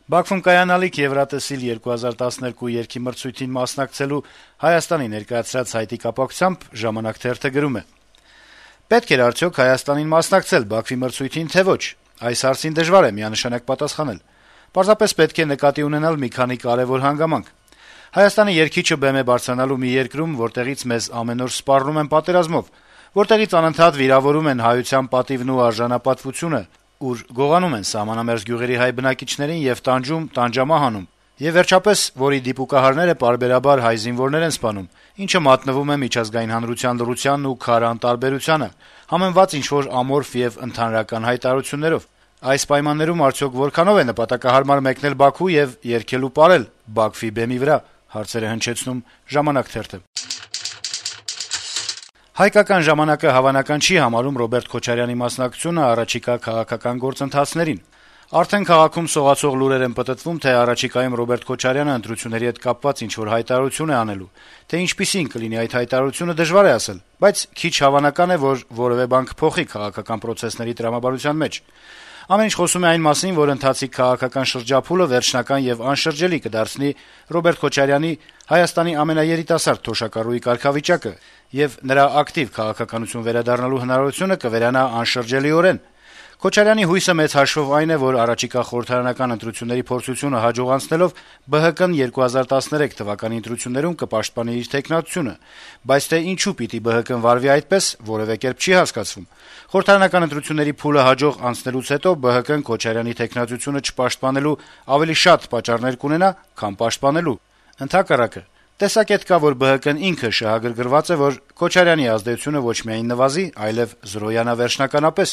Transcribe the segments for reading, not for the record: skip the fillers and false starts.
Բաքվում կայանալիք Եվրատեսիլ 2012 երգի մրցույթին մասնակցելու Հայաստանի ներկայացրած հայտի կապակցությամբ «Ժամանակ» թերթը գրում է. - «Պետք էր արդյոք Հայաստանին մասնակցել Բաքվի մրցույթին, թե ոչ: Այս հարցին դժվար է միանշանակ պատասխանել: Պարզապես պետք է նկատի ունենալ մի քանի կարեւոր հանգամանք: Հայաստանի երգիչը բեմ է բարձրանալու մի երկրում, որտեղից մեզ ամեն օր սպառնում են պատերազմով, որտեղից անընդհատ վիրավորում են հայության պատիվն ու արժանապատվությունը, ուր գողանում են սահմանամերձ գյուղերի հայ բնակիչներին եւ տանջում, տանջամահանում, եւ վերջապես, որի դիպուկահարները պարբերաբար հայ զինվորներ են սպանում, ինչը մատնվում է միջազգային հանրության լռությանն ու քարը անտարբերությանը, համեմված ինչ-որ ամորֆ եւ ընդհանրական հայտարարություններով: Այս պայմաններում արդյոք որքանով է նպատակահարմար մեկնել Բաքու եւ երգել ու պարել Բաքվի բեմի վրա»: Հարցեր է հնչեցնում «Ժամանակ» թերթը: «Հայկական ժամանակ»-ը հավանական չի համարում Ռոբերտ Քոչարյանի մասնակցությունը առաջիկա քաղաքական գործընթացներին: Արդեն քաղաքում սողացող լուրեր են պտտվում, թե առաջիկայում Ռոբերտ Քոչարյանը ընտրությունների հետ կապված ինչ-որ հայտարարություն է անելու: Թե ինչպիսին կլինի այդ հայտարարությունը, դժվար է ասել, բայց քիչ հավանական է, որ որեւէ բան կփոխի քաղաքական պրոցեսների տրամաբանության մեջ: Ամեն ինչ խոսում է այն մասին, որ ընթացիկ քաղաքական շրջափուլը վերջնական եւ անշրջելի կդարձնի Ռոբերտ Քոչարյանի՝ Հայաստանի ամենաերիտասարդ թոշակառուի կարգավիճակը, եւ նրա ակտիվ քաղաքականություն վերադառնալու հնարավորությունը կվերանա անշրջելիորեն: Քոչարյանի հույսը մեծ հաշվով այն է, որ առաջիկա խորհրդարանական ընտրությունների փորձությունը հաջողացնելով ԲՀԿ-ն 2013 թվականի ընտրություններում կպաշտպանի իր թեկնածությունը: Բայց թե ինչու պիտի ԲՀԿ-ն վարվի այդպես, որեւէ կերպ չի հասկացվում: Խորհրդարանական ընտրությունների փուլը հաջող անցնելուց հետո ԲՀԿ-ն Քոչարյանի թեկնածությունը չպաշտպանելու ավելի շատ պատճառներ կունենա, քան պաշտպանելու: Ընդհակառակը, տեսակետ կա, որ ԲՀԿ-ն ինքը շահագրգռված է, որ Քոչարյանի ազդեցությունը ոչ միայն նվազի, այլեւ զրոյանա վերջնականապես»: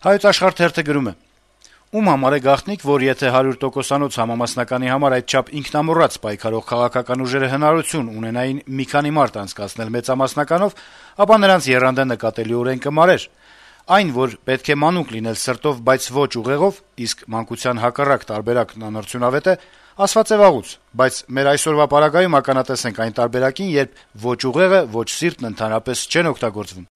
«Հայոց Աշխարհ» թերթը գրում է. - «Ում համար է գաղտնիք, որ եթե 100%-անոց համամասնականի համար այդչափ ինքնամոռաց պայքարող քաղաքական ուժերը հնարավորություն ունենային մի քանի մարտ անցկացնել մեծամասնականով, ապա նրանց եռանդը նկատելիորեն կմարեր: Այն, որ պետք է մանուկ լինել սրտով, բայց ոչ ուղեղով, իսկ մանկության հակառակ տարբերակն անարդյունավետ է, ասված է վաղուց, բայց մեր այսօրվա պարագայում ականատես ենք այն տարբերակին, երբ ոչ ուղեղը, ոչ սիրտն ընդհանրապես չեն օգտագործվում»: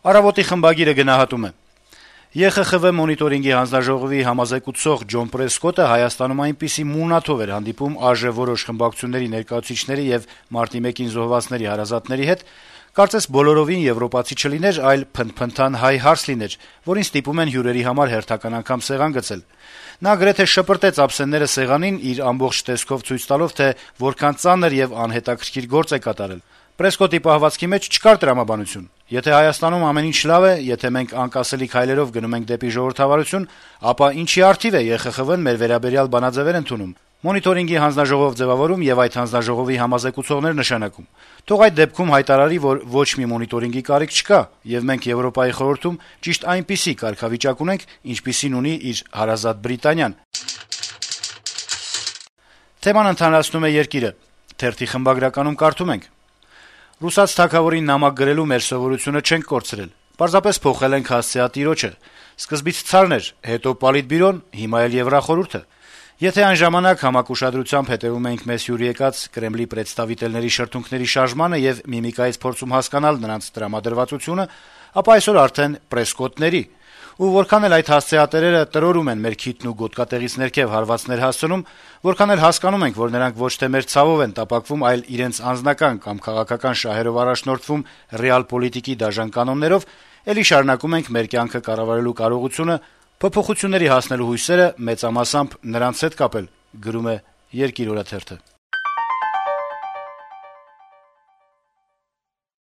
«Առավոտ»-ի խմբագիրը գնահատում է. - «ԵԽԽՎ մոնիտորինգի հանձնաժողովի համազեկուցող Ջոն Պրեսկոտը Հայաստանում այնպիսի մունաթով էր հանդիպում ԱԺ որոշ խմբակցությունների ներկայացուցիչների եւ մարտի 1-ին զոհվածների հարազատների հետ, կարծես բոլորովին եվրոպացի չլիներ, այլ փնթփնթան հայ հարս լիներ, որին ստիպում են հյուրերի համար հերթական անգամ սեղան գցել: Նա գրեթե շպրտեց ափսենները սեղանին, իր ամբողջ տեսքով ցույց տալով, թե որքան ծանր եւ անհետաքրքիր գործ է կատարել: Պրեսկոտի պահվածքի մեջ չկար տրամաբանություն: Եթե Հայաստանում ամեն ինչ լավ է, եթե մենք անկասելի քայլերով գնում ենք դեպի ժողովրդավարություն, ապա ինչի առթիվ է ԵԽԽՎ-ն մեր վերաբերյալ բանաձեւեր ընդունում, մոնիտորինգի հանձնաժողով ձեւավորում եւ այդ հանձնաժողովի համազեկուցողներ նշանակում: Թող այդ դեպքում հայտարարի, որ ոչ մի մոնիտորինգի կարիք չկա, եւ մենք Եվրոպայի խորհրդում ճիշտ այնպիսի կարգավիճակ ունենք, ինչպիսին ունի իր հարազատ Բրիտանիան»: Թեման ընդհանրացնում է «Երկիր»-ը. թերթի խմբագրականում կարդում ենք. - «Ռուսաց թագավորին նամակ գրելու մեր սովորությունը չենք կորցրել: Պարզապես փոխել ենք հասցեատիրոջը: Սկզբից ցարն էր, հետո Պոլիտբյուրոն, հիմա էլ Եվրախորհուրդը: Եթե այն ժամանակ համակ ուշադրությամբ հետեւում էինք մեզ հյուր եկած Կրեմլի պրեդստավիտելների շրթունքների շարժմանը եւ միմիկայից փորձում հասկանալ նրանց տրամադրվածությունը, ապա այսօր արդեն Պրեսկոտների: Ու որքան էլ այդ հասցեատերերը տրորում են մեր քիթն ու գոտկատեղից ներքեւ հարվածներ հասցնում, որքան էլ հասկանում ենք, որ նրանք ոչ թե մեր ցավով են տապակվում, այլ իրենց անձնական կամ քաղաքական շահերով առաջնորդվում ռեալ-պոլիտիկի դաժան կանոններով, էլի շարունակում ենք մեր կյանքը կառավարելու կարողությունը, փոփոխությունների հասնելու հույսերը մեծամասամբ նրանց հետ կապել»: